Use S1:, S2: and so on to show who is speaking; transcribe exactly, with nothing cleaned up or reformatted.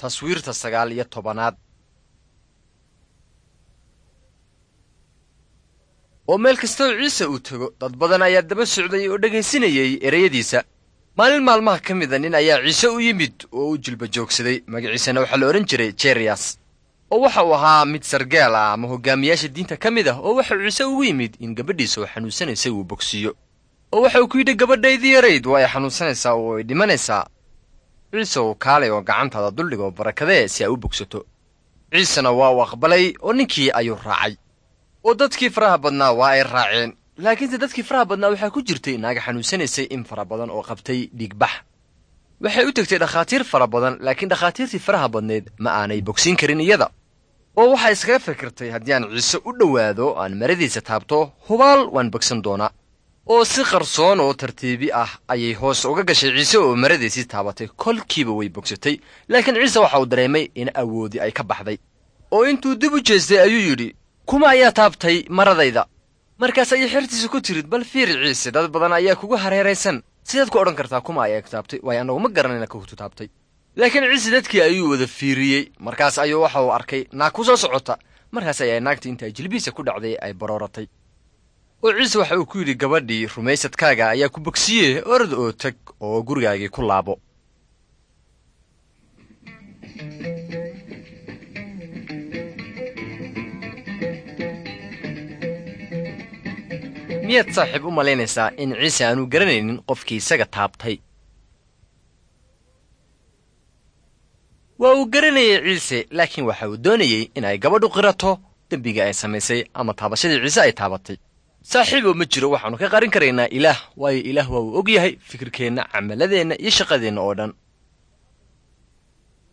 S1: Taswiirta sagaal iyo tobanaad. Oo meel kastoo Ciise uu tego, dad badan ayaa daba socday oo dhegaysinayay ereyadiisa. Maalin maalmaha ka mida nin ayaa Ciise u yimid oo u jilba joogsaday. Magaciisana waxaa la odhan jiray Jeriyas, oo waxa uu ahaa mid sargaal ah ama hogaamiyaasha diinta ka mid ah, oo waxau Ciise ugu yimid in gabadhiisa oo xanuunsanaysay uu bogsiiyo. Oo waxa uu ku yidhi, gabadhaydii yarayd waa ay xanuunsanaysaa oo ay dhimanaysaa. Ciise uu kaalay oo gacantaada duldhig oo barakadee si ay u bogsato. Ciisena waa uu aqbalay oo ninkii ayuu raacay, oo dadkii faraha badnaa waa ay raaceen. Laakiinse dadkii faraha badnaa waxaa ku jirtay naaga xanuunsanaysay in fara badan oo qabtay dhiigbax. Waxay u tegtay dhakhaatiir fara badan, laakiin dhakhaatiirtii faraha badnayd ma aanay bogsiin karin iyada. Oo waxay iskaga fikirtay, haddii aan Ciise u dhowaado aan maradiisa taabto, hubaal waan bogsan doonaa. Oo si qarsoon oo tartiibi ah ayay hoos uga gashay Ciise oo maradiisii taabatay. Kolkiiba way bogsatay, laakiin Ciise waxa uu dareemay in awoodii ay ka baxday. Oo intuu dib u jeestay ayuu yidhi, kuma ayaa taabtay maradayda? Markaas ayay xertiisa ku tirid, bal fiiri Ciise, dad badan ayaa kugu hareeraysan, sidaad ku odhan kartaa kuma ayaa taabtay? Waayo annagu ma garanayna kahutu taabtay. Laakiin Ciise dadkii ayuu wada fiiriyey. Markaas ayuu waxa uu arkay naag ku soo socota. Markaas ayaa naagtii inta ay jilbihiisa ku dhacday ay barooratay. Oo Ciise waxa uu ku yidhi gabadhii, rumaysadkaaga ayaa ku bogsiye, orod oo tag oo gurigaagii ku laabo. Miyaad saaxiib u malaynaysaa in Ciise aanu garanaynin qofkii isaga taabtay? Waa uu garanayay Ciise, laakiin waxa uu doonayey in ay gabadhu qirato dembiga ay samaysay ama taabashadii Ciise ay taabatay. Saaxiibow, ma jiro waxaannu ka qarin karaynaa Ilaah, waayo Ilaah waa uu og yahay fikirkeenna, camaladeenna iyo shaqadeenna oo dhan.